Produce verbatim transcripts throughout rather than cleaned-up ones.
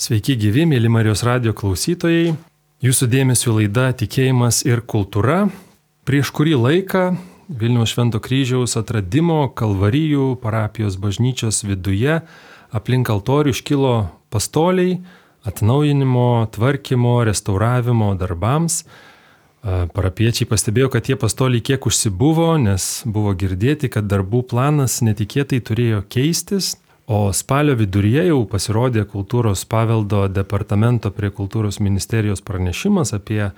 Sveiki gyvi, mėly Marijos radijo klausytojai. Jūsų dėmesio laida Tikėjimas ir kultūra. Prieš kurį laiką Vilniaus Švento Kryžiaus atradimo Kalvarijų parapijos bažnyčios viduje aplink altorių iškilo pastoliai atnaujinimo, tvarkymo, restauravimo darbams. Parapiečiai pastebėjo, kad tie pastoliai kiek užsibuvo, nes buvo girdėti, kad darbų planas netikėtai turėjo keistis, o spalio viduryje jau pasirodė kultūros paveldo departamento prie kultūros ministerijos pranešimas apie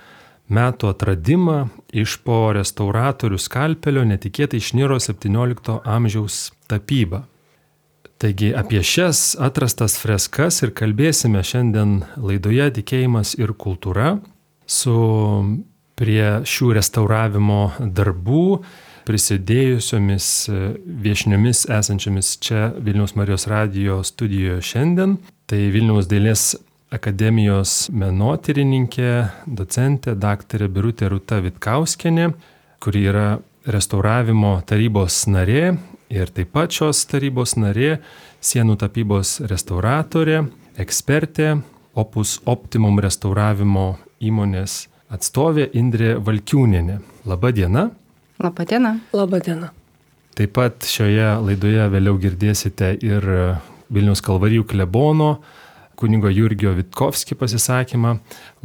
metų atradimą. Iš po restauratorių skalpelio netikėtai išniro septyniolikto amžiaus tapyba. Taigi apie šias atrastas freskas ir kalbėsime šiandien laidoje Tikėjimas ir kultūra su prie šių restauravimo darbų prisidėjusiomis viešniomis esančiomis čia Vilniaus Marijos radijo studijoje šiandien. Tai Vilniaus dailės akademijos menotyrininkė, docentė, daktarė Birutė Rūta Vitkauskienė, kuri yra restauravimo tarybos narė ir taip pat šios tarybos narė, sienų tapybos restauratorė, ekspertė, Opus Optimum restauravimo įmonės atstovė Indrė Valkiūnienė. Labą dieną. Labą dieną. Labą dieną. Taip pat šioje laidoje vėliau girdėsite ir Vilniaus Kalvarijų klebono kunigo Jurgio Vitkovski pasisakymą.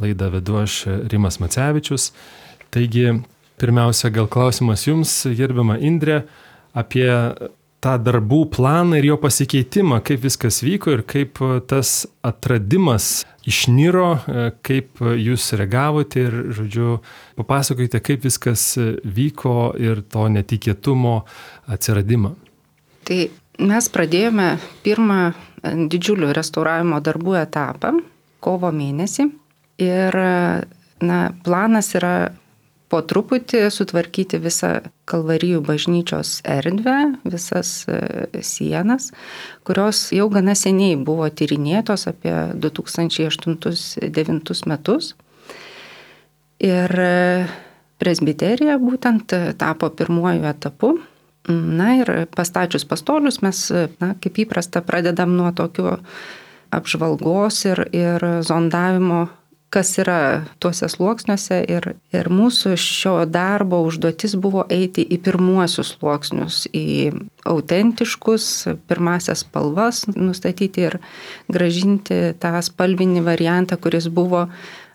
Laidą vedu aš Rimas Macevičius. Taigi, pirmiausia, gal klausimas jums, gerbiama Indrė, apie tą darbų planą ir jo pasikeitimą, kaip viskas vyko ir kaip tas atradimas išniro, kaip jūs reagavote ir, žodžiu, papasakokite, kaip viskas vyko ir to netikėtumo atsiradimą. Tai mes pradėjome pirmą didžiulių restauravimo darbų etapą kovo mėnesį ir na, planas yra po truputį sutvarkyti visą Kalvarijų bažnyčios erdvę, visas sienas, kurios jau gana seniai buvo tyrinėtos apie du tūkstančiai aštuntus devintus metus. Ir presbiterija būtent tapo pirmuoju etapu. Na ir pastačius pastolius mes, na, kaip įprasta, pradedam nuo tokių apžvalgos ir, ir zondavimo, kas yra tuose sluoksniuose ir, ir mūsų šio darbo užduotis buvo eiti į pirmuosius sluoksnius, į autentiškus, pirmasias spalvas nustatyti ir gražinti tą spalvinį variantą, kuris buvo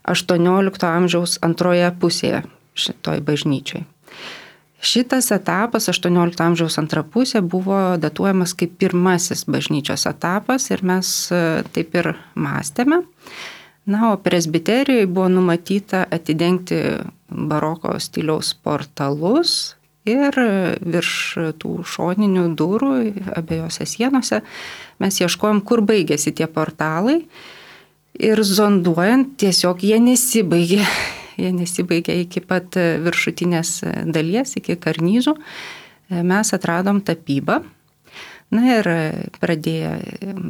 aštuoniolikto amžiaus antroje pusėje šitoj bažnyčioj. Šitas etapas, aštuoniolikto amžiaus antra pusė, buvo datuojamas kaip pirmasis bažnyčios etapas ir mes taip ir mąstėme. Na, o presbiterijoje buvo numatyta atidengti baroko stiliaus portalus ir virš tų šoninių durų abiejose sienose mes ieškojom, kur baigėsi tie portalai ir zonduojant tiesiog jie nesibaigė, jie nesibaigė iki pat viršutinės dalies, iki karnyzų. Mes atradom tapybą. Na ir pradėję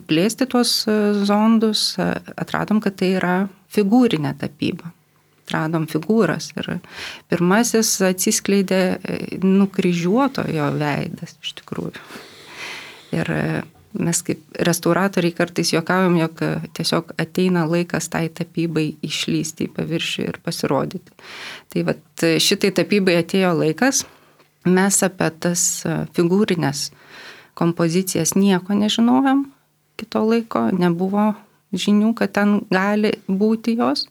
plėsti tuos zondus, atradom, kad tai yra figūrinė tapyba. Atradom figūras ir pirmasis atsiskleidė nukryžiuotojo veidas iš tikrųjų. Ir mes kaip restauratoriai kartais juokaujam, jog tiesiog ateina laikas tai tapybai išlysti į paviršių ir pasirodyti. Tai vat šitai tapybai atėjo laikas, mes apie tas figūrinės kompozicijas nieko nežinojom kito laiko, nebuvo žinių, kad ten gali būti jos.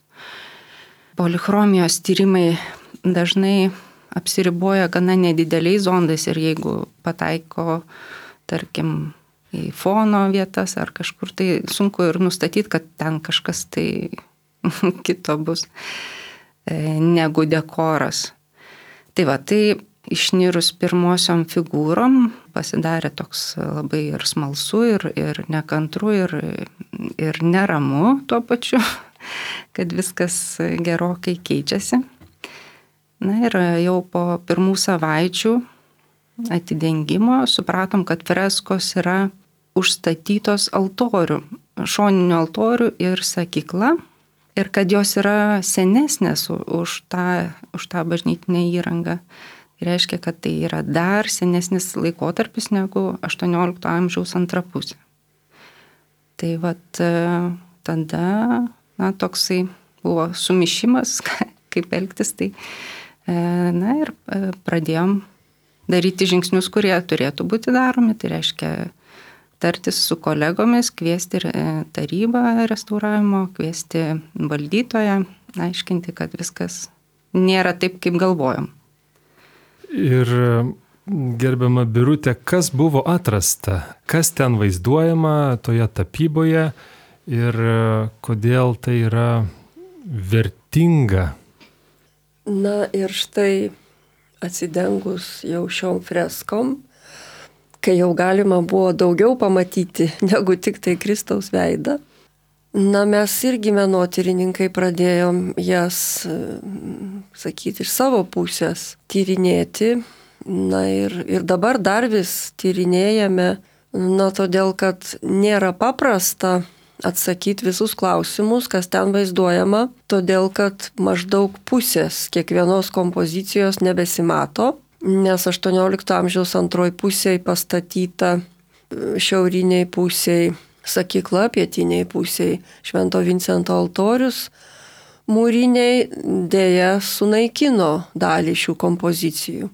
Polichromijos tyrimai dažnai apsiriboja gana nedideliais zondais ir jeigu pataiko, tarkim, į fono vietas ar kažkur, tai sunku ir nustatyti, kad ten kažkas tai kito bus negu dekoras. Tai va, tai išnirus pirmosiom figūrom pasidarė toks labai ir smalsu, ir, ir nekantru, ir, ir neramu tuo pačiu, kad viskas gerokai keičiasi. Na ir jau po pirmų savaičių atidengimo supratom, kad freskos yra užstatytos altorių, šoninių altorių ir sakykla, ir kad jos yra senesnės už tą, už tą bažnytinę įrangą. Tai reiškia, kad tai yra dar senesnis laikotarpis negu aštuoniolikto amžiaus antra pusė. Tai vat tada, na, toksai buvo sumišimas, kaip elgtis, tai, na, ir pradėjom daryti žingsnius, kurie turėtų būti daromi, tai reiškia tartis su kolegomis, kviesti tarybą restauravimo, kviesti valdytoją, aiškinti, kad viskas nėra taip, kaip galvojom. Ir gerbiama Birutė, kas buvo atrasta, kas ten vaizduojama toje tapyboje ir kodėl tai yra vertinga? Na ir štai atsidengus jau šiom freskom, kai jau galima buvo daugiau pamatyti negu tik tai Kristaus veidą. Na, mes irgi menotyrininkai pradėjom jas, sakyti, iš savo pusės tyrinėti. Na ir, ir dabar dar vis tyrinėjame, na, todėl, kad nėra paprasta atsakyti visus klausimus, kas ten vaizduojama, todėl, kad maždaug pusės kiekvienos kompozicijos nebesimato. Nes aštuoniolikto amžiaus antroj pusėje pastatyta šiauriniai pusėje sakykla, pietiniai pusėje Švento Vincento altorius, mūriniai dėja sunaikino dalį šių kompozicijų.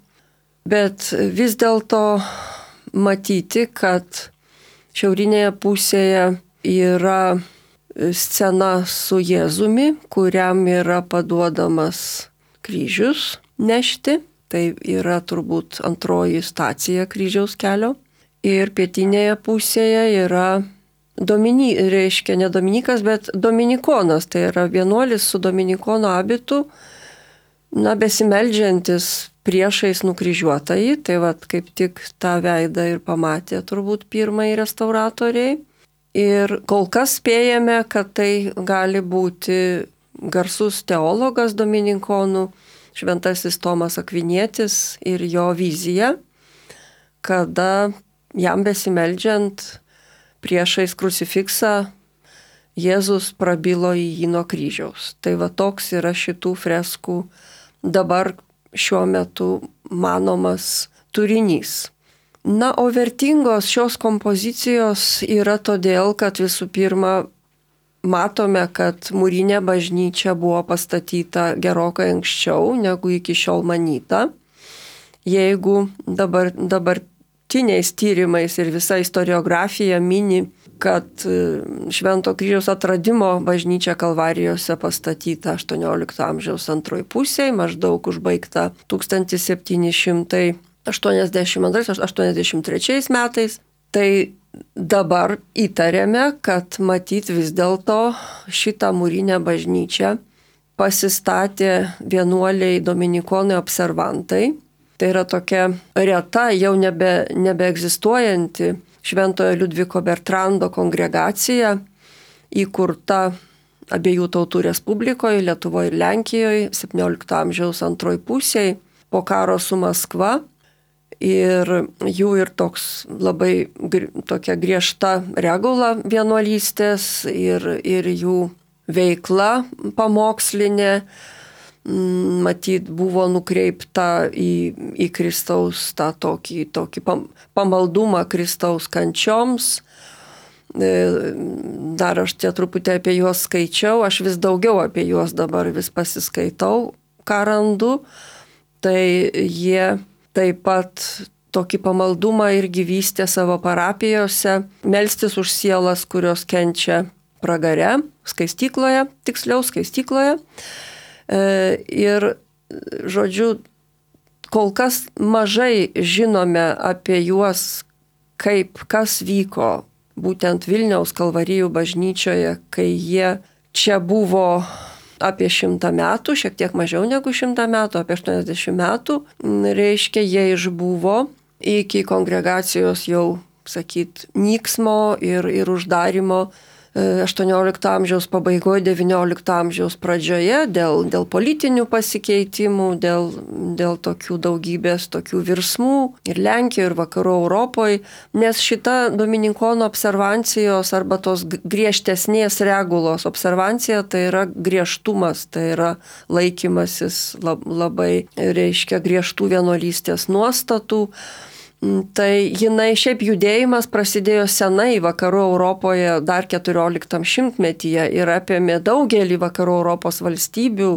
Bet vis dėlto matyti, kad šiaurinėje pusėje yra scena su Jėzumi, kuriam yra paduodamas kryžius nešti. Tai yra turbūt antroji stacija kryžiaus kelio. Ir pietinėje pusėje yra Domini, reiškia ne Dominikas, bet Dominikonas. Tai yra vienuolis su Dominikono abitu, na, besimeldžiantis priešais nukryžiuotąjį. Tai vat kaip tik tą veidą ir pamatė turbūt pirmąjį restauratoriai. Ir kol kas spėjame, kad tai gali būti garsus teologas Dominikonų, Šventasis Tomas Akvinietis ir jo vizija, kada jam besimeldžiant priešais krucifiksą Jėzus prabilo į jį nuo kryžiaus. Tai va toks yra šitų freskų dabar šiuo metu manomas turinys. Na, o vertingos šios kompozicijos yra todėl, kad visų pirma matome, kad mūrinė bažnyčia buvo pastatyta gerokai anksčiau, negu iki šiol manyta. Jeigu dabar, dabartiniais tyrimais ir visa istoriografija mini, kad Švento kryžiaus atradimo bažnyčia Kalvarijose pastatyta aštuoniolikto amžiaus antroj pusėje, maždaug užbaigta tūkstantis septyni šimtai aštuoniasdešimt antrais aštuoniasdešimt trečiais metais, tai dabar įtarėme, kad matyt vis dėlto šitą mūrinę bažnyčią pasistatė vienuoliai dominikonai observantai. Tai yra tokia reta, jau nebe, nebeegzistuojanti Šventojo Liudviko Bertrando kongregacija, įkurta abiejų tautų Respublikoje, Lietuvoje ir Lenkijoje, septyniolikto amžiaus antroj pusėje, po karo su Maskva. Ir jų ir toks labai tokia griežta regula vienuolystės ir, ir jų veikla pamokslinė, matyt, buvo nukreipta į, į Kristaus tą tokį, tokį pamaldumą Kristaus kančioms. Dar aš čia truputį apie juos skaičiau, aš vis daugiau apie juos dabar vis pasiskaitau, ką randu. Tai jie taip pat tokį pamaldumą irgi vystė savo parapijose, melstis už sielas, kurios kenčia pragare, skaistykloje, tiksliau skaistykloje. Ir, žodžiu, kol kas mažai žinome apie juos, kaip kas vyko būtent Vilniaus Kalvarijų bažnyčioje, kai jie čia buvo apie šimtą metų, šiek tiek mažiau negu šimtą metų, apie aštuoniasdešimt metų, reiškia, jie išbuvo iki kongregacijos jau, sakyt, nyksmo ir, ir uždarimo aštuoniolikto amžiaus pabaigoje, devyniolikto amžiaus pradžioje dėl, dėl politinių pasikeitimų, dėl, dėl tokių daugybės tokių virsmų ir Lenkijoje, ir vakarų Europoje, nes šita Dominikono observancijos arba tos griežtesnės regulos observancija tai yra griežtumas, tai yra laikymasis lab, labai, reiškia, griežtų vienuolystės nuostatų. Tai jinai šiaip judėjimas prasidėjo senai vakarų Europoje dar keturioliktam šimtmetyje ir apėmė daugelį vakarų Europos valstybių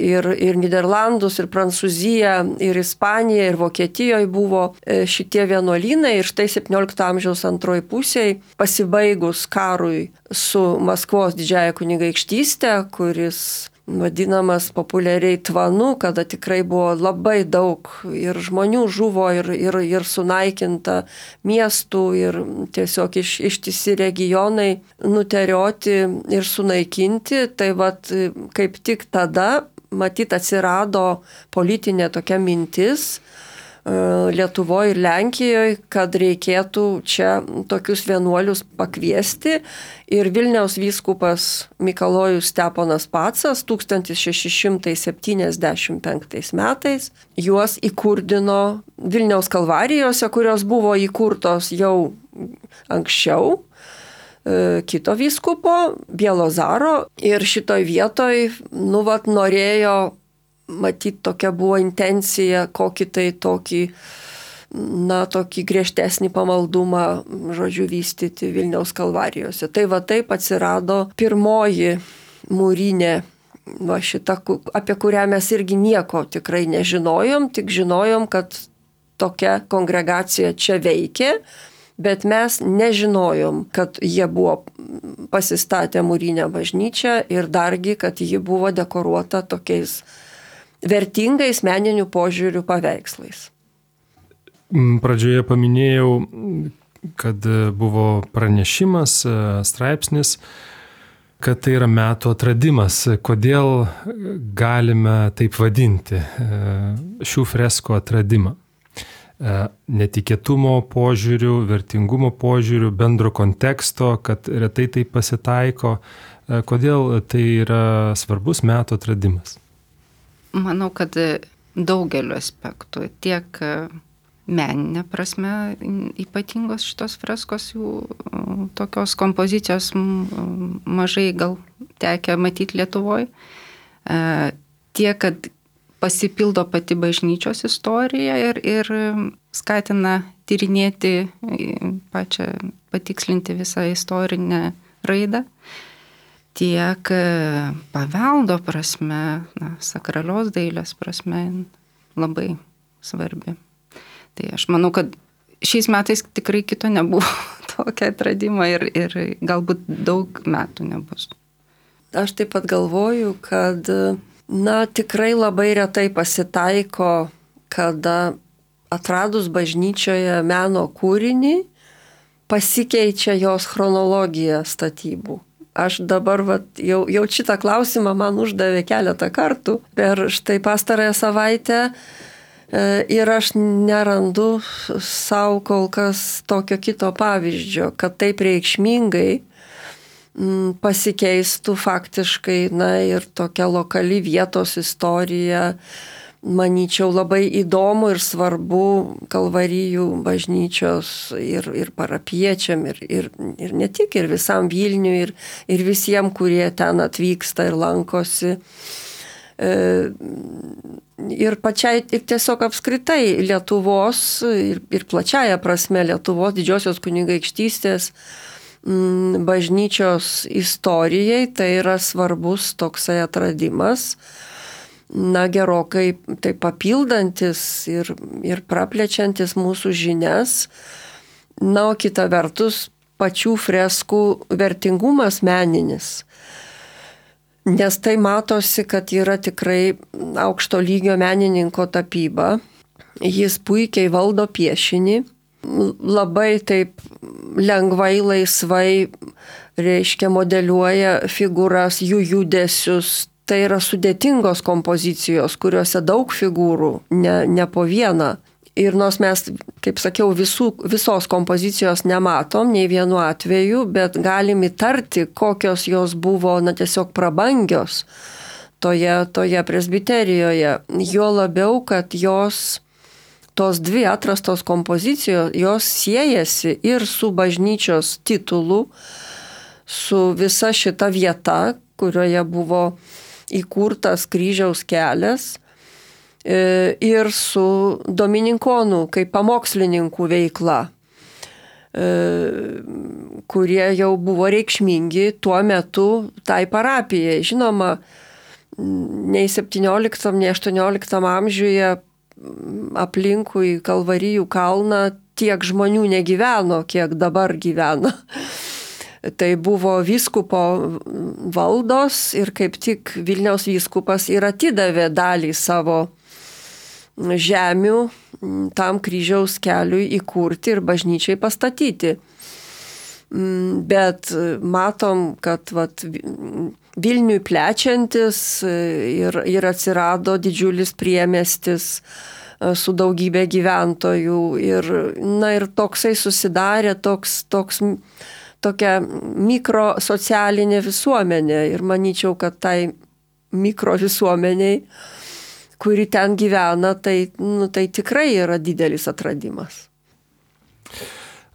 ir, ir Niderlandus, ir Prancūziją, ir Ispaniją, ir Vokietijoje buvo šitie vienuolynai ir štai septyniolikto amžiaus antroji pusėje pasibaigus karui su Maskvos didžiąja kunigaikštyste, kuris vadinamas populiariai tvanu, kada tikrai buvo labai daug ir žmonių žuvo ir, ir, ir sunaikinta miestų ir tiesiog iš, ištisi regionai nuterioti ir sunaikinti. Tai vat kaip tik tada, matyt, atsirado politinė tokia mintis Lietuvoje ir Lenkijoje, kad reikėtų čia tokius vienuolius pakviesti. Ir Vilniaus vyskupas Mikalojus Steponas Pacas tūkstantis šeši šimtai septyniasdešimt penktais metais juos įkurdino Vilniaus kalvarijose, kurios buvo įkurtos jau anksčiau kito vyskupo, Bielozaro. Ir šitoj vietoj, nu, vat, norėjo matyt, tokia buvo intencija, kokį tai tokį, na, tokį griežtesnį pamaldumą, žodžiu, vystyti Vilniaus kalvarijose. Tai va taip atsirado pirmoji mūrinė, va šita, apie kurią mes irgi nieko tikrai nežinojom, tik žinojom, kad tokia kongregacija čia veikė, bet mes nežinojom, kad jie buvo pasistatę mūrinę bažnyčią ir dargi, kad ji buvo dekoruota tokiais vertingais meninių požiūrių paveikslais. Pradžioje paminėjau, kad buvo pranešimas, straipsnis, kad tai yra metų atradimas. Kodėl galime taip vadinti šių freskų atradimą? Netikėtumo požiūrių, vertingumo požiūrių, bendro konteksto, kad retai tai pasitaiko. Kodėl tai yra svarbus metų atradimas? Manau, kad daugeliu aspektų, tiek meninė prasme ypatingos šitos freskos, jų tokios kompozicijos mažai gal tekę matyti Lietuvoje, tiek, kad pasipildo pati bažnyčios istorija ir, ir skatina tyrinėti pačią, patikslinti visą istorinę raidą. Tiek paveldo prasme, na, sakralios dailės prasme labai svarbi. Tai aš manau, kad šiais metais tikrai kito nebuvo tokio atradimo ir, ir galbūt daug metų nebus. Aš taip pat galvoju, kad, na, tikrai labai retai pasitaiko, kada atradus bažnyčioje meno kūrinį pasikeičia jos chronologija statybų. Aš dabar vat, jau, jau šitą klausimą man uždavė keletą kartų per štai pastarąją savaitę ir aš nerandu savo kol kas tokio kito pavyzdžio, kad taip reikšmingai pasikeistų faktiškai, na, ir tokia lokali vietos istorija. Manyčiau, labai įdomu ir svarbu Kalvarijų bažnyčios ir, ir parapiečiam, ir, ir, ir ne tik, ir visam Vilniui, ir, ir visiems, kurie ten atvyksta ir lankosi. E, ir pačiai, ir tiesiog apskritai Lietuvos, ir, ir plačiaja prasme Lietuvos didžiosios kunigaikštystės m, bažnyčios istorijai, tai yra svarbus toksai atradimas. Na, gerokai tai papildantis ir, ir praplečiantis mūsų žinias. Na, o kita vertus, pačių freskų vertingumas meninis. Nes tai matosi, kad yra tikrai aukšto lygio menininko tapyba. Jis puikiai valdo piešinį. Labai taip lengvai, laisvai, reiškia, modeliuoja figūras, jų judesius. Tai yra sudėtingos kompozicijos, kuriuose daug figūrų, ne, ne po vieną. Ir nors mes, kaip sakiau, visų, visos kompozicijos nematom, nei vienu atveju, bet galim įtarti, kokios jos buvo, na, tiesiog prabangios toje, toje presbiterijoje. Jo labiau, kad jos, tos dvi atrastos kompozicijos, jos siejasi ir su bažnyčios titulu, su visa šita vieta, kurioje buvo įkurtas kryžiaus kelias, ir su domininkonų kaip pamokslininkų veikla, kurie jau buvo reikšmingi tuo metu tai parapijai. Žinoma, nei septynioliktam, nei aštuonioliktam amžiuje aplinkui Kalvarijų kalną tiek žmonių negyveno, kiek dabar gyvena. Tai buvo vyskupo valdos ir kaip tik Vilniaus vyskupas ir atidavė dalį savo žemių tam kryžiaus keliui įkurti ir bažnyčiai pastatyti. Bet matom, kad vat, Vilniui plečiantis ir, ir atsirado didžiulis priemiestis su daugybė gyventojų ir, na, ir toksai susidarė toks, toks, tokia mikrosocialinė visuomenė ir manyčiau, kad tai mikrovisuomeniai, kuri ten gyvena, tai, nu, tai tikrai yra didelis atradimas.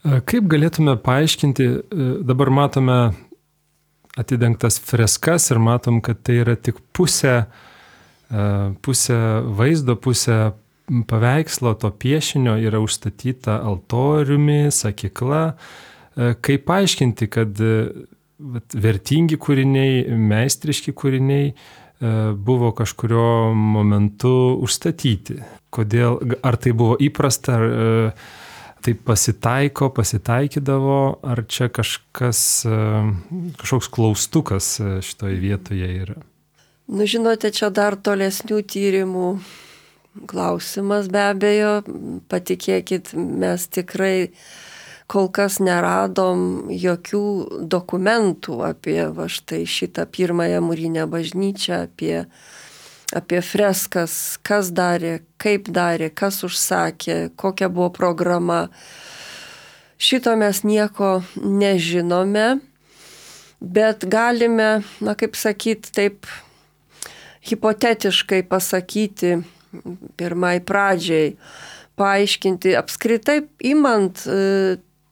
Kaip galėtume paaiškinti, dabar matome atidengtas freskas ir matom, kad tai yra tik pusė, pusė vaizdo, pusė paveikslo, to piešinio yra užstatyta altoriumi, sakykla. Kaip paaiškinti, kad vertingi kūriniai, meistriški kūriniai buvo kažkurio momentu užstatyti? Kodėl, ar tai buvo įprasta, ar tai pasitaiko, pasitaikydavo, ar čia kažkas, kažkoks klaustukas šitoje vietoje yra? Nu, žinote, čia dar tolesnių tyrimų klausimas be abejo. Patikėkit, mes tikrai kol kas neradom jokių dokumentų apie va štai šitą pirmąją mūrinę bažnyčią, apie apie freskas, kas darė, kaip darė, kas užsakė, kokia buvo programa. Šito mes nieko nežinome, bet galime, na kaip sakyti, taip hipotetiškai pasakyti pirmai pradžiai, paaiškinti, apskritai imant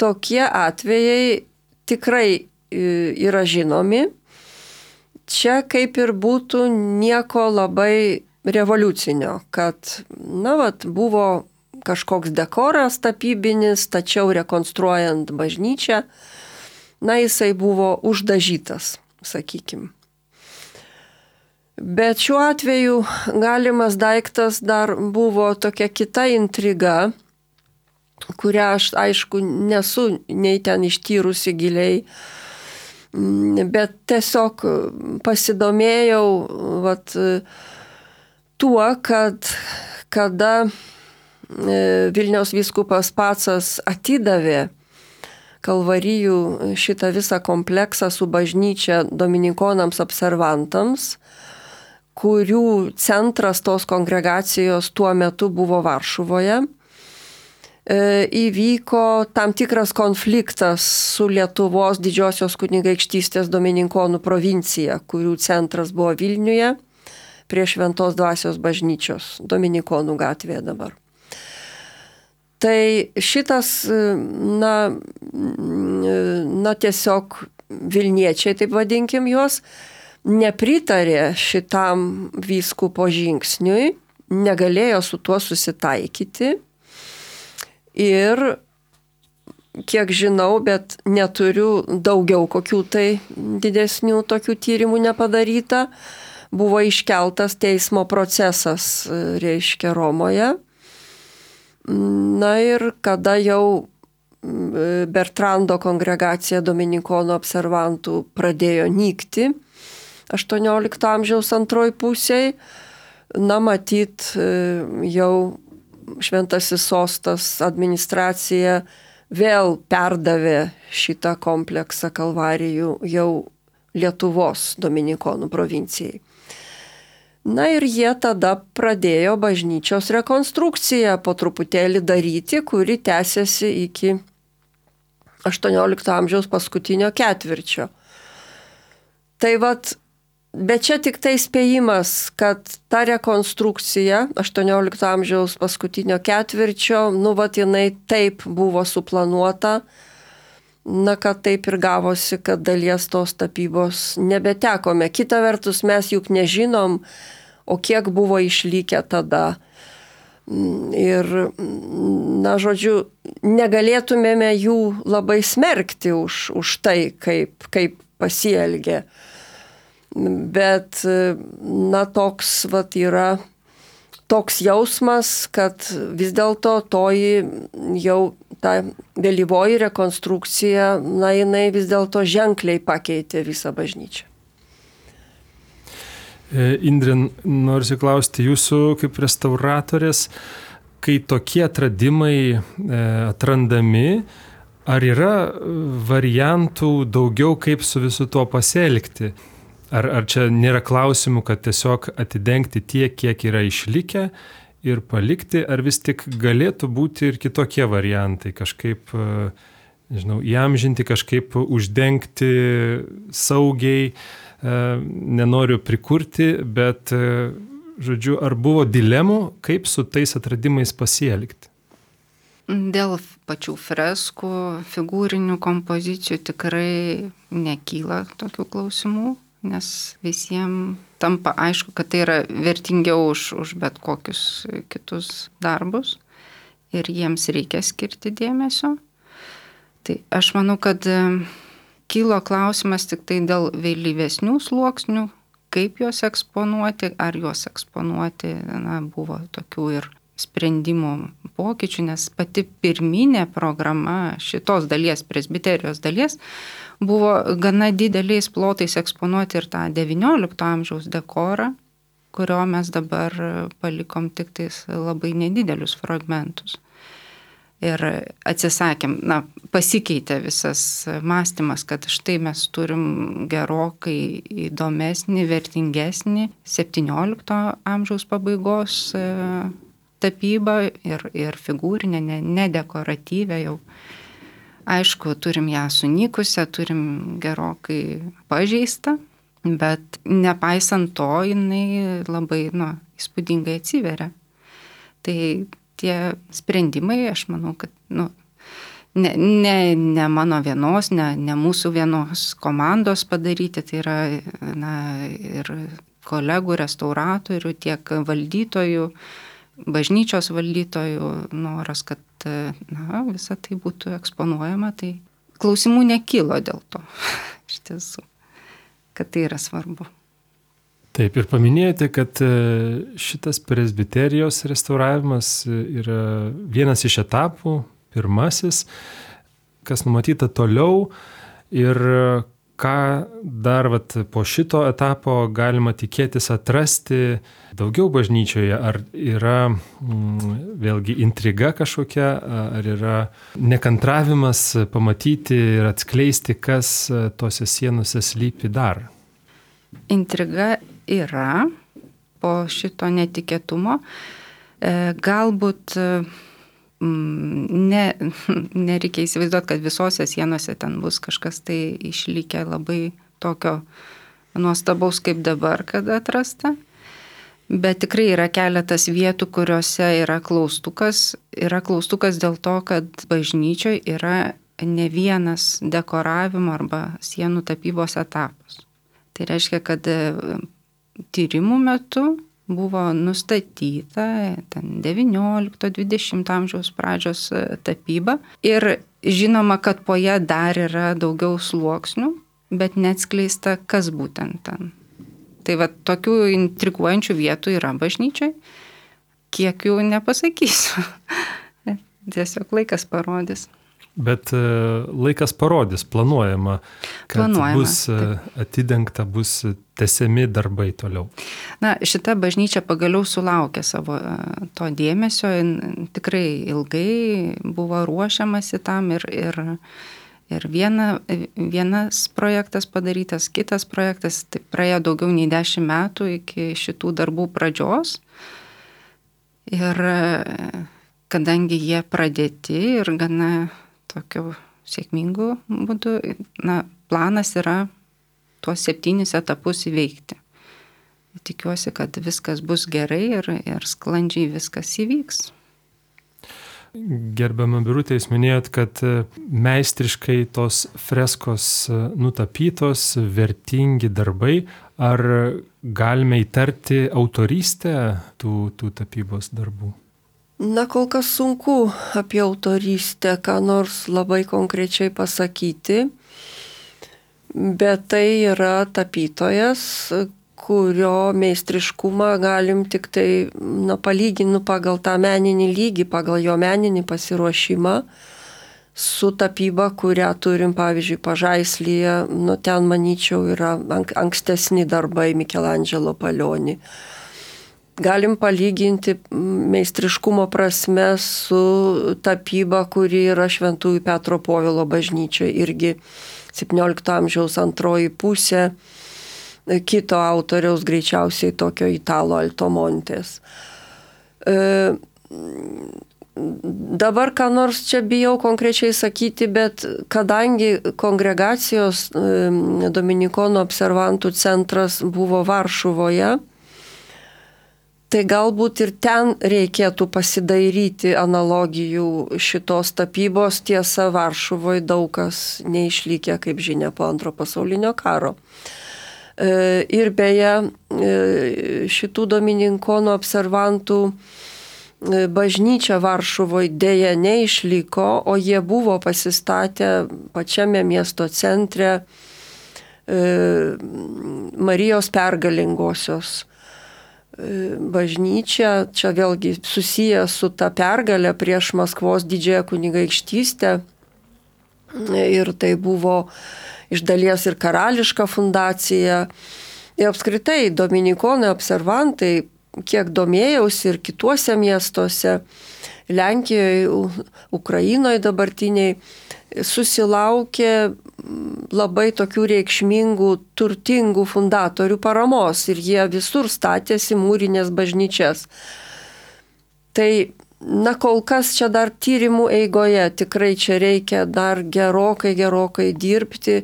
tokie atvejai tikrai yra žinomi. Čia kaip ir būtų nieko labai revoliucinio, kad, na, vat, buvo kažkoks dekoras tapybinis, tačiau rekonstruojant bažnyčią, na, jisai buvo uždažytas, sakykim. Bet šiuo atveju galimas daiktas dar buvo tokia kita intriga, kurią aš, aišku, nesu nei ten ištyrusi giliai, bet tiesiog pasidomėjau vat, tuo, kad kada Vilniaus vyskupas Pacas atidavė Kalvarijų šitą visą kompleksą su bažnyčia dominikonams observantams, kurių centras tos kongregacijos tuo metu buvo Varšuvoje, įvyko tam tikras konfliktas su Lietuvos didžiosios kunigaikštystės domininkonų provincija, kurių centras buvo Vilniuje prie Šventos dvasios bažnyčios, Dominikonų gatvėje dabar. Tai šitas, na, na tiesiog Vilniečiai, taip vadinkim juos, nepritarė šitam vyskupo žingsniui, negalėjo su tuo susitaikyti. Ir, kiek žinau, bet neturiu daugiau kokių tai didesnių tokių tyrimų nepadaryta, buvo iškeltas teismo procesas, reiškia, Romoje. Na ir kada jau Bertrando kongregacija dominikonų observantų pradėjo nykti aštuoniolikto amžiaus antroj pusėj, na matyt, jau Šventasis sostas administracija vėl perdavė šitą kompleksą Kalvarijų jau Lietuvos dominikonų provincijai. Na ir jie tada pradėjo bažnyčios rekonstrukciją po truputėlį daryti, kuri tęsiasi iki aštuoniolikto amžiaus paskutinio ketvirčio. Tai vat, bet čia tik tai spėjimas, kad ta rekonstrukcija aštuoniolikto amžiaus paskutinio ketvirčio, nu vat jinai taip buvo suplanuota, na kad taip ir gavosi, kad dalies tos tapybos nebetekome. Kita vertus mes juk nežinom, o kiek buvo išlikę tada. Ir, na, žodžiu, negalėtumėme jų labai smerkti už, už tai, kaip, kaip pasielgė. Bet, na, toks vat, yra toks jausmas, kad vis dėlto toji jau ta vėlyvoji rekonstrukcija, na, jinai vis dėlto ženkliai pakeitė visą bažnyčią. Indrė, noriu klausti jūsų kaip restauratorės, kai tokie atradimai atrandami, ar yra variantų daugiau, kaip su visu tuo pasielgti? Ar, ar čia nėra klausimų, kad tiesiog atidengti tiek, kiek yra išlikę ir palikti, ar vis tik galėtų būti ir kitokie variantai, kažkaip, nežinau, įamžinti, kažkaip uždengti saugiai, nenoriu prikurti, bet, žodžiu, ar buvo dilemų, kaip su tais atradimais pasielgti? Dėl pačių freskų, figūrinių kompozicijų tikrai nekyla tokių klausimų, nes visiems tampa aišku, kad tai yra vertingiau už, už bet kokius kitus darbus ir jiems reikia skirti dėmesio. Tai aš manau, kad kilo klausimas tik tai dėl vėlyvesnių sluoksnių, kaip juos eksponuoti, ar juos eksponuoti, na, buvo tokių ir sprendimų pokyčių, nes pati pirminė programa šitos dalies, presbiterijos dalies, buvo gana dideliais plotais eksponuoti ir tą devyniolikto amžiaus dekorą, kurio mes dabar palikom tik tais labai nedidelius fragmentus. Ir atsisakėm, na, pasikeitė visas mąstymas, kad štai mes turim gerokai įdomesnį, vertingesnį septyniolikto amžiaus pabaigos e, tapybą ir, ir figūrinę, ne, nedekoratyvę jau. Aišku, turim ją sunykusią, turim gerokai pažeistą, bet nepaisant to, jinai labai, nu, įspūdingai atsiveria. Tai tie sprendimai, aš manau, kad nu, ne, ne, ne mano vienos, ne, ne mūsų vienos komandos padaryti, tai yra na, ir kolegų, restauratorių, tiek valdytojų, bažnyčios valdytojų noras, kad na, visa tai būtų eksponuojama, tai klausimų nekilo dėl to, iš tiesų, kad tai yra svarbu. Taip, ir paminėjote, kad šitas presbiterijos restauravimas yra vienas iš etapų, pirmasis, kas numatyta toliau ir ką dar vat, po šito etapo galima tikėtis atrasti daugiau bažnyčioje, ar yra mm, vėlgi intriga kažkokia, ar yra nekantravimas pamatyti ir atskleisti, kas tose sienose slypi dar. Intriga yra po šito netikėtumo. Galbūt ne, nereikia įsivaizduoti, kad visose sienose ten bus kažkas tai išlikę labai tokio nuostabaus kaip dabar, kad atrasta. Bet tikrai yra keletas vietų, kuriuose yra klaustukas. Yra klaustukas dėl to, kad bažnyčioje yra ne vienas dekoravimo arba sienų tapybos etapas. Tai reiškia, kad tyrimų metu buvo nustatyta ten devyniolikto dvidešimto amžiaus pradžios tapyba ir žinoma, kad po ją dar yra daugiau sluoksnių, bet neatskleista, kas būtent ten. Tai va, tokių intriguojančių vietų yra bažnyčiai, kiek jų nepasakysiu. Tiesiog laikas parodys. Bet laikas parodys, planuojama, kad planuojama, bus taip. Atidengta, bus tęsiami darbai toliau. Na, šita bažnyčia pagaliau sulaukė savo to dėmesio, tikrai ilgai buvo ruošiamasi tam ir, ir, ir viena, vienas projektas padarytas, kitas projektas, tai praėjo daugiau nei dešimt metų iki šitų darbų pradžios. Ir kadangi jie pradėti ir gana tokiu sėkmingu būdu, na, planas yra tuos septynis etapus įveikti. Tikiuosi, kad viskas bus gerai ir, ir sklandžiai viskas įvyks. Gerbiama Birutė, jūs minėjot, kad meistriškai tos freskos nutapytos, vertingi darbai. Ar galime įtarti autorystę tų, tų tapybos darbų? Na, kol kas sunku apie autorystę ką nors labai konkrečiai pasakyti, bet tai yra tapytojas, kurio meistriškumą galim tik tai na, palyginu pagal tą meninį lygį, pagal jo meninį pasiruošimą su tapyba, kurią turim, pavyzdžiui, Pažaislyje, nu, ten, manyčiau, yra ankstesni darbai Michelangelo Palioni. Galim palyginti meistriškumo prasme su tapyba, kuri yra Šventųjų Petro Povilo bažnyčioje, irgi septyniolikto amžiaus antroji pusė, kito autoriaus, greičiausiai tokio Italo Altomontės. E, dabar ką nors čia bijau konkrečiai sakyti, bet kadangi kongregacijos e, Dominikonų observantų centras buvo Varšuvoje, tai galbūt ir ten reikėtų pasidairyti analogijų šitos tapybos. Tiesa, Varšuvoje daug kas neišlikė, kaip žinia, po antro pasaulinio karo. Ir beje, šitų Dominikonų observantų bažnyčia Varšuvoje dėja neišliko, o jie buvo pasistatę pačiame miesto centre Marijos pergalingosios bažnyčia. Čia vėlgi susiję su ta pergalė prieš Maskvos didžiąją kunigaikštystę. Ir tai buvo iš dalies ir karališka fundacija. Ir apskritai Dominikonai observantai, kiek domėjausi ir kituose miestuose, Lenkijoje, Ukrainoje dabartiniai, susilaukė labai tokių reikšmingų, turtingų fundatorių paramos ir jie visur statėsi mūrinės bažnyčias. Tai na, kol kas čia dar tyrimų eigoje, tikrai čia reikia dar gerokai, gerokai dirbti,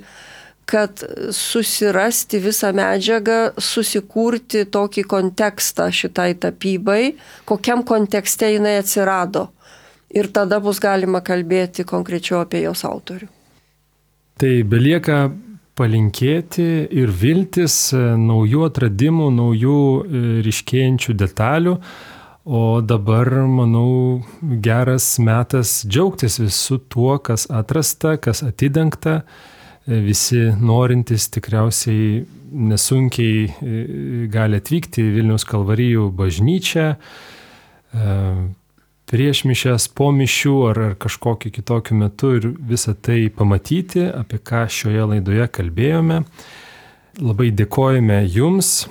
kad susirasti visą medžiagą, susikurti tokį kontekstą šitai tapybai, kokiam kontekste jinai atsirado. Ir tada bus galima kalbėti konkrečiau apie jos autorių. Tai belieka palinkėti ir viltis naujų atradimų, naujų ryškėjančių detalių. O dabar, manau, geras metas džiaugtis visų tuo, kas atrasta, kas atidengta. Visi norintys tikriausiai nesunkiai gali atvykti į Vilniaus Kalvarijų bažnyčią, prieš mišias, po mišių ar, ar kažkokiu kitokiu metu ir visą tai pamatyti, apie ką šioje laidoje kalbėjome. Labai dėkojame Jums,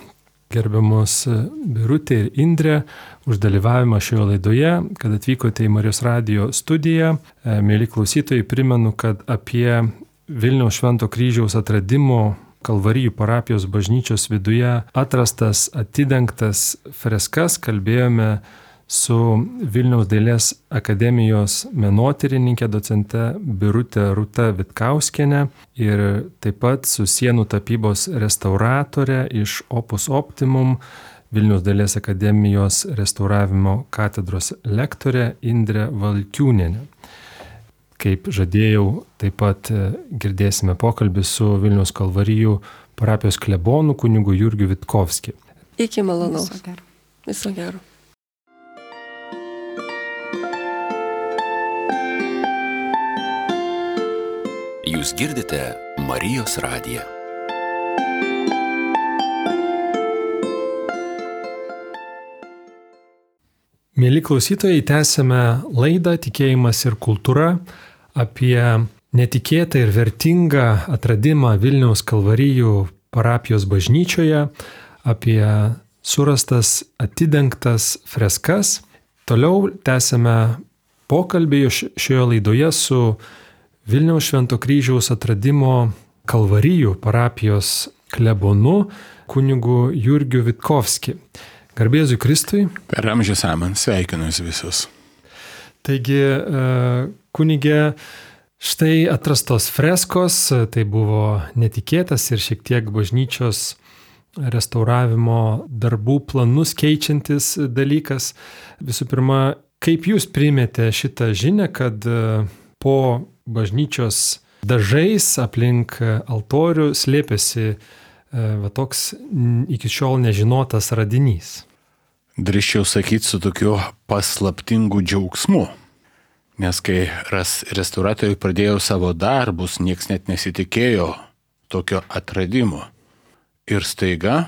gerbiamos Birutė ir Indrė, už dalyvavimą šioje laidoje, kad atvykote į Marijos radijo studiją. Mėly klausytojai, primenu, kad apie Vilniaus Švento Kryžiaus atradimo Kalvarijų parapijos bažnyčios viduje atrastas, atidengtas freskas kalbėjome su Vilniaus dailės akademijos menotyrininkė docente Birute Rūta Vitkauskienė ir taip pat su sienų tapybos restauratore iš Opus Optimum Vilniaus dailės akademijos restauravimo katedros lektorė Indrė Valkiūnienė. Kaip žadėjau, taip pat girdėsime pokalbį su Vilniaus Kalvarijų parapijos klebonu kunigu Jurgiu Vitkovskiu. Iki malonaus. Viso gero. Viso gero. Jūs girdite Marijos radiją. Mėly klausytojai, tęsime laidą Tikėjimas ir kultūra apie netikėtą ir vertingą atradimą Vilniaus Kalvarijų parapijos bažnyčioje, apie surastas atidengtas freskas. Toliau tęsime pokalbį šioje laidoje su Vilniaus Švento Kryžiaus atradimo Kalvarijų parapijos klebonu kunigu Jurgiu Vitkovskiu. Garbėzui Kristui. Per amžius amen, sveikinu jūs visus. Taigi, kunigė, štai atrastos freskos, tai buvo netikėtas ir šiek tiek bažnyčios restauravimo darbų planus keičiantis dalykas. Visų pirma, Kaip jūs priimėte šitą žinią, kad po bažnyčios dažais aplink altorių slėpėsi va toks iki šiol nežinotas radinys? Drįsčiau sakyti su tokiu paslaptingu džiaugsmu. Nes kai restauratoriai pradėjo savo darbus, nieks net nesitikėjo tokio atradimo. Ir staiga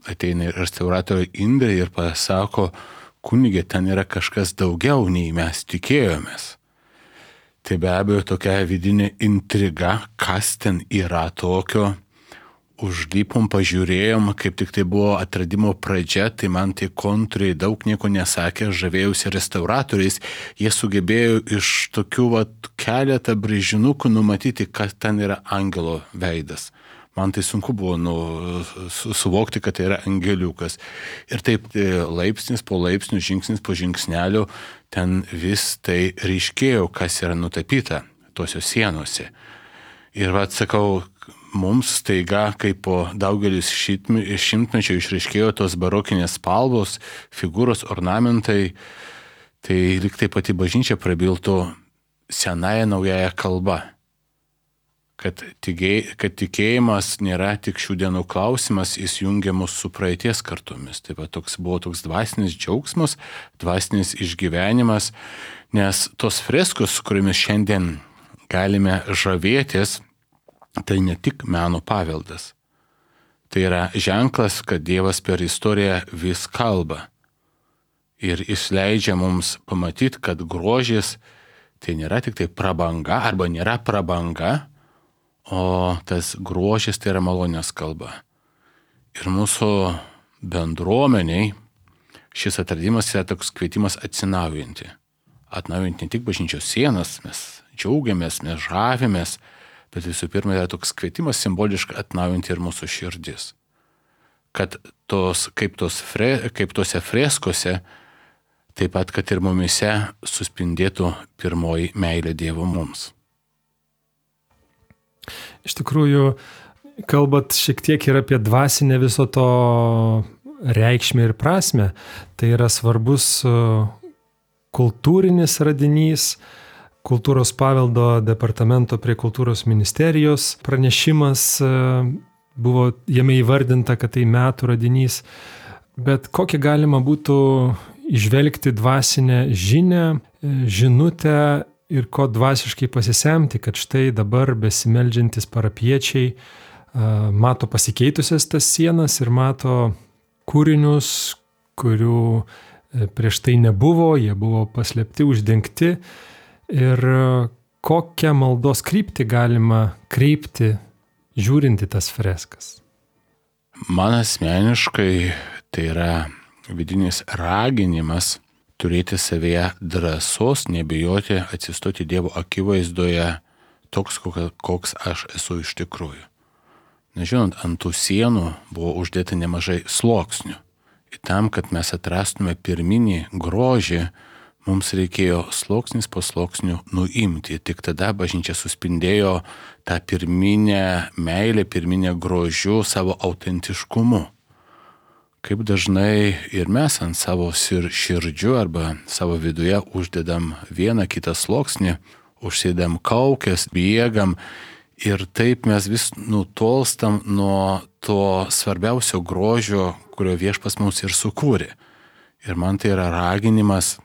ateina restauratorė Indrė ir pasako, kunigė, ten yra kažkas daugiau nei mes tikėjomės. Tai be abejo tokia vidinė intriga, kas ten yra tokio. Užlipom, pažiūrėjom, kaip tik tai buvo atradimo pradžia, tai man tie kontūrai daug nieko nesakė, žavėjausi restauratoriais, jie sugebėjo iš tokių vat, keletą brėžinukų numatyti, kas ten yra angelo veidas. Man tai sunku buvo nu, suvokti, kad tai yra angeliukas. Ir taip laipsnis po laipsnių, žingsnis po žingsnelio, ten vis tai ryškėjo, kas yra nutapyta tuose sienose. Ir vat sakau, mums staiga, kaip po daugelis šimtmečių išryškėjo tos barokinės spalvos, figūros, ornamentai, tai lyg tai pati bažnyčia prabiltų senąją naująją kalbą. Kad, tikėj, kad tikėjimas nėra tik šių dienų klausimas, jis jungia mus su praeities kartomis. Taip pat toks buvo toks dvasinis džiaugsmas, dvasinis išgyvenimas, nes tos freskos, su kuriomis šiandien galime žavėtis, tai ne tik meno paveldas. Tai yra ženklas, kad Dievas per istoriją vis kalba. Ir jis leidžia mums pamatyti, kad grožis tai nėra tik tai prabanga arba nėra prabanga, o tas grožis tai yra malonės kalba. Ir mūsų bendruomeniai šis atradimas yra toks kvietimas atsinaujinti. Atnaujinti ne tik bažnyčios sienas, mes džiaugiamės, mes žavimės, bet visų pirma yra toks kvietimas simboliškai atnaujinti ir mūsų širdis. Kad tos, kaip, tos fre, kaip tose freskose, taip pat, kad ir mumise suspindėtų pirmoji meilė Dievo mums. Iš tikrųjų, kalbat šiek tiek ir apie dvasinę viso to reikšmę ir prasme, tai yra svarbus kultūrinis radinys, Kultūros paveldo departamento prie kultūros ministerijos pranešimas, buvo jame įvardinta, kad tai metų radinys, bet kokią galima būtų įžvelgti dvasinę žinią, žinutę ir ko dvasiškai pasisemti, kad štai dabar besimeldžiantis parapiečiai mato pasikeitusias tas sienas ir mato kūrinius, kurių prieš tai nebuvo, jie buvo paslėpti, uždengti. Ir kokią maldos kryptį galima kreipti, žiūrinti tas freskas? Man asmeniškai tai yra vidinis raginimas turėti savyje drąsos, nebijoti atsistoti Dievo akivaizdoje toks, koks aš esu iš tikrųjų. Nežinant, ant tų sienų buvo uždėta nemažai sluoksnių. Ir tam, kad mes atrastume pirminį grožį, mums reikėjo sluoksnis po sluoksnių nuimti. Tik tada bažnyčia suspindėjo tą pirminę meilę, pirminę grožių savo autentiškumu. Kaip dažnai ir mes ant savo širdžių arba savo viduje uždedam vieną kitą sluoksnį, užsidedam kaukės, bėgam ir taip mes vis nutolstam nuo to svarbiausio grožio, kurio Viešpats mums ir sukūrė. Ir man tai yra raginimas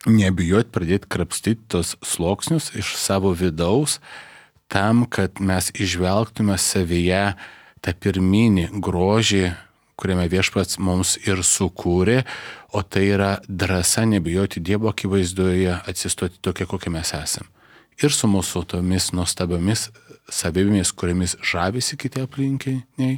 nebijot pradėti krapstyti tos sluoksnius iš savo vidaus, tam, kad mes išvelgtume savyje tą pirminį grožį, kuriame Viešpats mums ir sukūrė, o tai yra drąsa nebijoti Dievo akivaizdoje atsistoti tokie, kokie mes esame. Ir su mūsų tomis nuostabiomis savybėmis, kuriamis žavisi kiti aplinkiniai,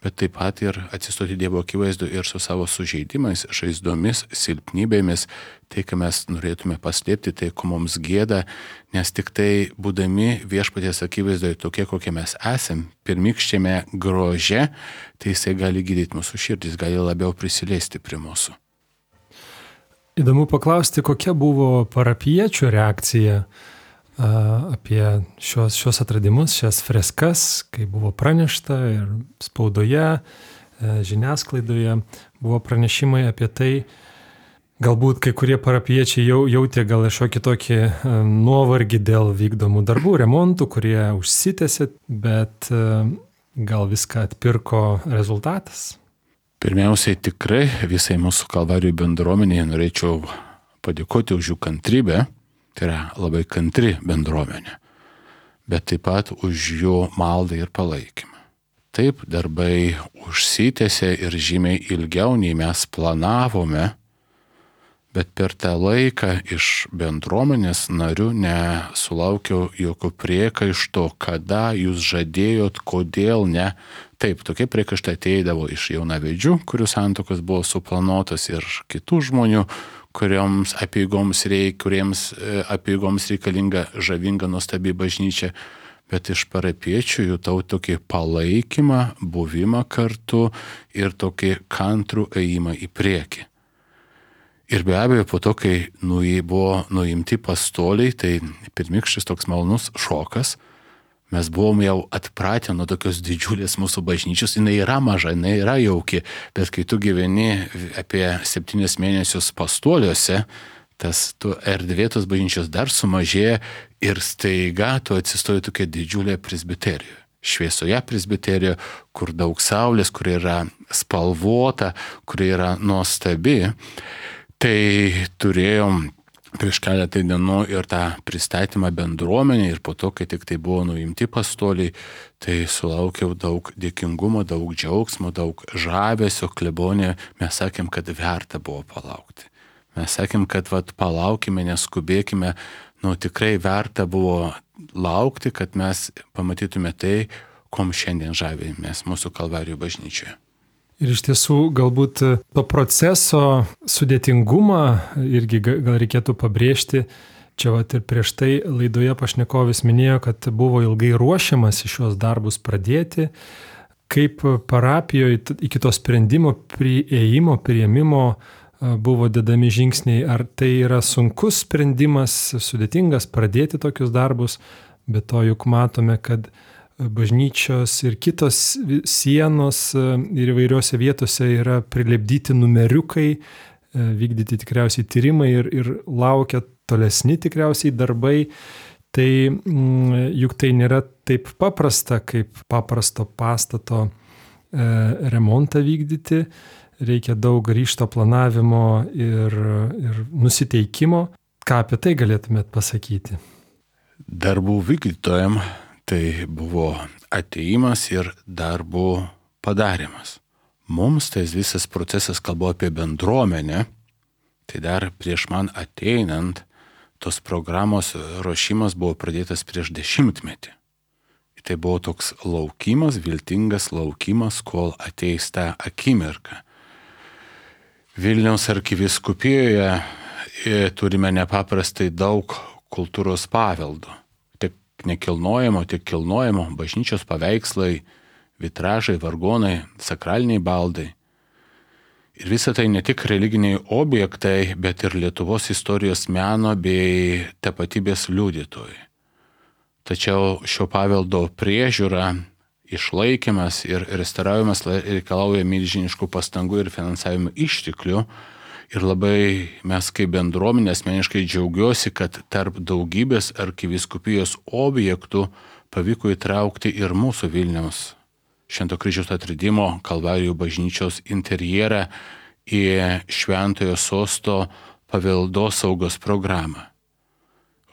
bet taip pat ir atsistoti Dievo akivaizdu ir su savo sužeidimais, žaizdomis, silpnybėmis, tai, ką mes norėtume paslėpti, tai, ko mums gėda, nes tik tai būdami Viešpaties akivaizdoje tokie, kokie mes esam, pirmykščiame grože, tai jisai gali gydyti mūsų širdis, gali labiau prisiliesti prie mūsų. Įdomu paklausti, kokia buvo parapiečių reakcija apie šios, šios atradimus, šias freskas, kai buvo pranešta ir spaudoje, žiniasklaidoje buvo pranešimai apie tai, Galbūt kai kurie parapiečiai jau jautė gal šiokį tokį nuovargį dėl vykdomų darbų, remontų, kurie užsitęsė, bet gal viską atpirko rezultatas? Pirmiausiai tikrai visai mūsų Kalvarijų bendruomenėje norėčiau padėkoti už jų kantrybę, tai yra labai kantri bendruomenė, bet taip pat už jų maldą ir palaikymą. Taip, darbai užsitęsė ir žymiai ilgiau nei mes planavome, bet per tą laiką iš bendruomenės narių nesulaukiau jokių priekaištų, kada jūs žadėjot, kodėl ne. Taip, tokie priekaištai ateidavo iš jaunavedžių, kurių santuokos buvo suplanuotos, ir kitų žmonių, kuriems apeigoms, reik, kuriems apeigoms reikalinga žavinga nuostabi bažnyčia. Bet iš parapiečių jutau tokį palaikymą, buvimą kartu ir tokį kantrų ėjimą į priekį. Ir be abejo, po to, kai nu, buvo nuimti pastoliai, tai pirmykštis toks malonus šokas. Mes buvom jau atpratę nuo tokios didžiulės mūsų bažnyčios. Jinai yra maža, jinai yra jauki, bet kai tu gyveni apie septynis mėnesius pastoliuose, tas tu erdvėtos bažnyčios dar sumažėja ir staiga tu atsistoji tokia didžiulė presbiterija. Šviesoje presbiterijoje, kur daug saulės, kur yra spalvota, kur yra nuostabi. Tai turėjom prieš keletą dienų ir tą pristatymą bendruomenė, ir po to, kai tik tai buvo nuimti pastoliai, tai sulaukiau daug dėkingumo, daug džiaugsmo, daug žavesio. Klebonė, mes sakėm, kad verta buvo palaukti. Mes sakėm, kad vat, palaukime, neskubėkime, nu tikrai verta buvo laukti, kad mes pamatytume tai, kom šiandien žavimės mūsų Kalvarijų bažnyčioje. Ir iš tiesų galbūt to proceso sudėtingumą irgi gal reikėtų pabrėžti. Čia vat ir prieš tai laidoje pašnekovis minėjo, kad buvo ilgai ruošiamas šios darbus pradėti. Kaip parapijoje iki to sprendimo priėjimo, priėmimo buvo dedami žingsniai. Ar tai yra sunkus sprendimas, sudėtingas pradėti tokius darbus, bet to juk matome, kad bažnyčios ir kitos sienos ir įvairiose vietose yra prilipdyti numeriukai, vykdyti tikriausiai tyrimai ir, ir laukia tolesni tikriausiai darbai. Tai juk tai nėra taip paprasta, kaip paprasto pastato remontą vykdyti. Reikia daug ryžto planavimo ir, ir nusiteikimo. Ką apie tai galėtumėt pasakyti? Darbų vykdytojam tai buvo ateimas ir darbų padarimas. Mums tai visas procesas, kalbu apie bendruomenę, tai dar prieš man ateinant, tos programos ruošimas buvo pradėtas prieš dešimtmetį. Tai buvo toks laukimas, viltingas laukimas, kol ateis ta akimirka. Vilniaus arkivyskupijoje turime nepaprastai daug kultūros paveldo. Nekilnojamo, tiek kilnojamo, bažnyčios paveikslai, vitražai, vargonai, sakraliniai baldai. Ir visa tai ne tik religiniai objektai, bet ir Lietuvos istorijos meno bei tapatybės liudytojai. Tačiau šio paveldo priežiūra, išlaikymas ir restauravimas reikalauja milžiniškų pastangų ir finansavimo išteklių. Ir labai mes kaip bendruomenė asmeniškai džiaugiuosi, kad tarp daugybės arkivyskupijos objektų pavyko įtraukti ir mūsų Vilniaus Švento Kryžiaus Atradimo Kalvarijų bažnyčios interjerą į Šventojo sosto paveldosaugos programą.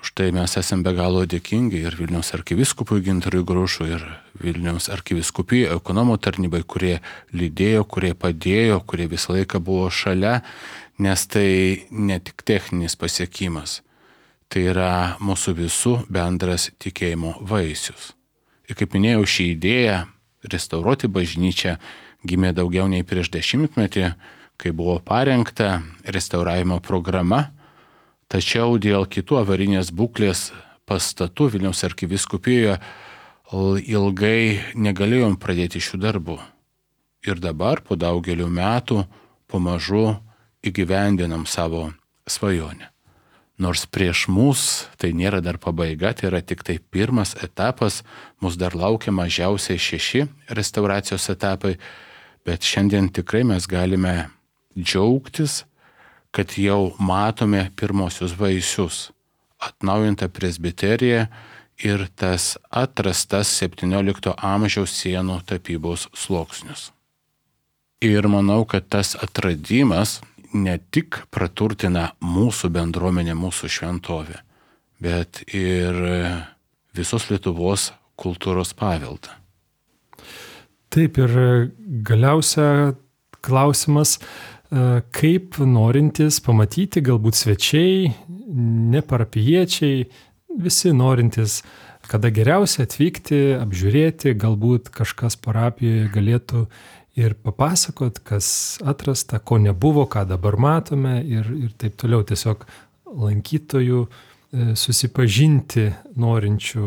Už tai mes esame be galo dėkingi ir Vilniaus arkivyskupui Gintarui Grušui, ir Vilniaus arkivyskupijai, ekonomo tarnybai, kurie lydėjo, kurie padėjo, kurie visą laiką buvo šalia, nes tai ne tik techninis pasiekimas, tai yra mūsų visų bendras tikėjimo vaisius. Ir kaip minėjau, ši idėja restauruoti bažnyčią gimė daugiau nei prieš dešimtmetį, kai buvo parengta restauravimo programa. Tačiau dėl kitų avarinės būklės pastatų Vilniaus arkivyskupijoje ilgai negalėjom pradėti šių darbų. Ir dabar po daugelių metų pamažu įgyvendinam savo svajonę. Nors prieš mus tai nėra dar pabaiga, tai yra tik tai pirmas etapas, mus dar laukia mažiausiai šeši restauracijos etapai, bet šiandien tikrai mes galime džiaugtis, kad jau matome pirmosius vaisius - atnaujintą presbiteriją ir tas atrastas septyniolikto amžiaus sienų tapybos sluoksnius. Ir manau, kad tas atradimas ne tik praturtina mūsų bendruomenę, mūsų šventovę, bet ir visos Lietuvos kultūros paveldą. Taip, ir galiausia klausimas, kaip norintys pamatyti, galbūt svečiai, neparapijiečiai, visi norintys, kada geriausia atvykti, apžiūrėti, galbūt kažkas parapijoje galėtų ir papasakot, kas atrasta, ko nebuvo, ką dabar matome ir, ir taip toliau. Tiesiog lankytojų susipažinti norinčių,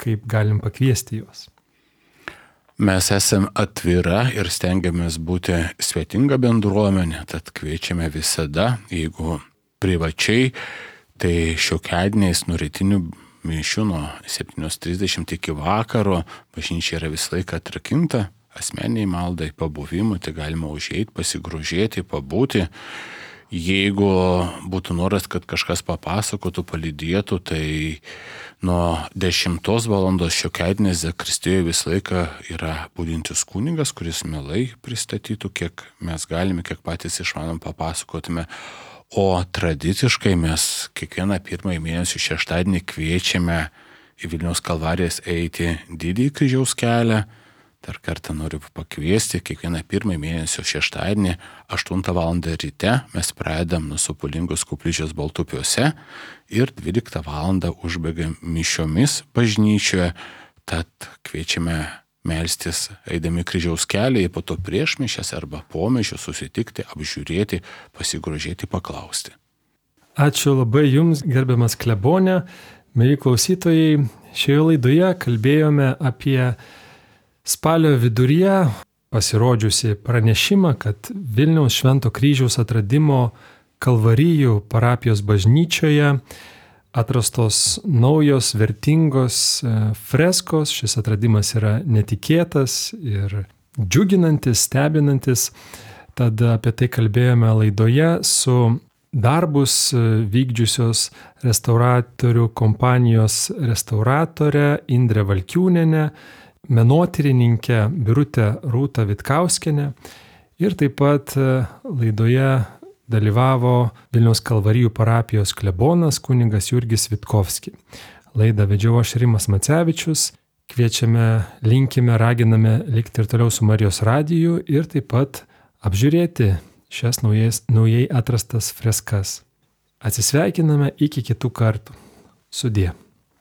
kaip galim pakviesti juos. Mes esame atvira ir stengiamės būti svetinga bendruomenė, tad kviečiame visada, jeigu privačiai, tai šiokiadieniais nuo rytinių mišių nuo septynios trisdešimt iki vakaro, bažnyčia yra visą laiką atrakinta, asmeniai maldai, pabuvimui, tai galima užeiti, pasigrožėti, pabūti. Jeigu būtų noras, kad kažkas papasakotų, palydėtų, tai nuo dešimtos valandos šiokiadieniais zakristijoje visą laiką yra budintis kunigas, kuris mielai pristatytų, kiek mes galime, kiek patys išmanom, papasakotume. O tradiciškai mes kiekvieną pirmąjį mėnesį šeštadienį kviečiame į Vilniaus Kalvarijas eiti Didįjį kryžiaus kelią. Dar kartą noriu pakviesti, kiekvieną pirmąjį mėnesio šeštadienį aštuntą valandą ryte mes pradedam nuo Sopulingos koplyčios Baltupiuose ir dvyliktą valandą užbaigiam mišiomis bažnyčioje, tad kviečiame melstis eidami kryžiaus kelią, po to prieš mišias arba po mišių susitikti, apžiūrėti, pasigrožėti, paklausti. Ačiū labai Jums, gerbiamas klebone. Mieli klausytojai, šioje laidoje kalbėjome apie spalio viduryje pasirodžiusi pranešimą, kad Vilniaus Švento kryžiaus atradimo Kalvarijų parapijos bažnyčioje atrastos naujos vertingos freskos. Šis atradimas yra netikėtas ir džiuginantis, stebinantis. Tad apie tai kalbėjome laidoje su darbus vykdžiusios restauratorių kompanijos restauratore Indre Valkiūnienė, menotyrininkė Birutė Rūta Vitkauskienė ir taip pat laidoje dalyvavo Vilniaus Kalvarijų parapijos klebonas kunigas Jurgis Vitkovski. Laidą vedžiau aš Rimas Macevičius. Kviečiame, linkime, raginame likti ir toliau su Marijos radiju ir taip pat apžiūrėti šias naujais, naujai atrastas freskas. Atsisveikiname iki kitų kartų. Sudie.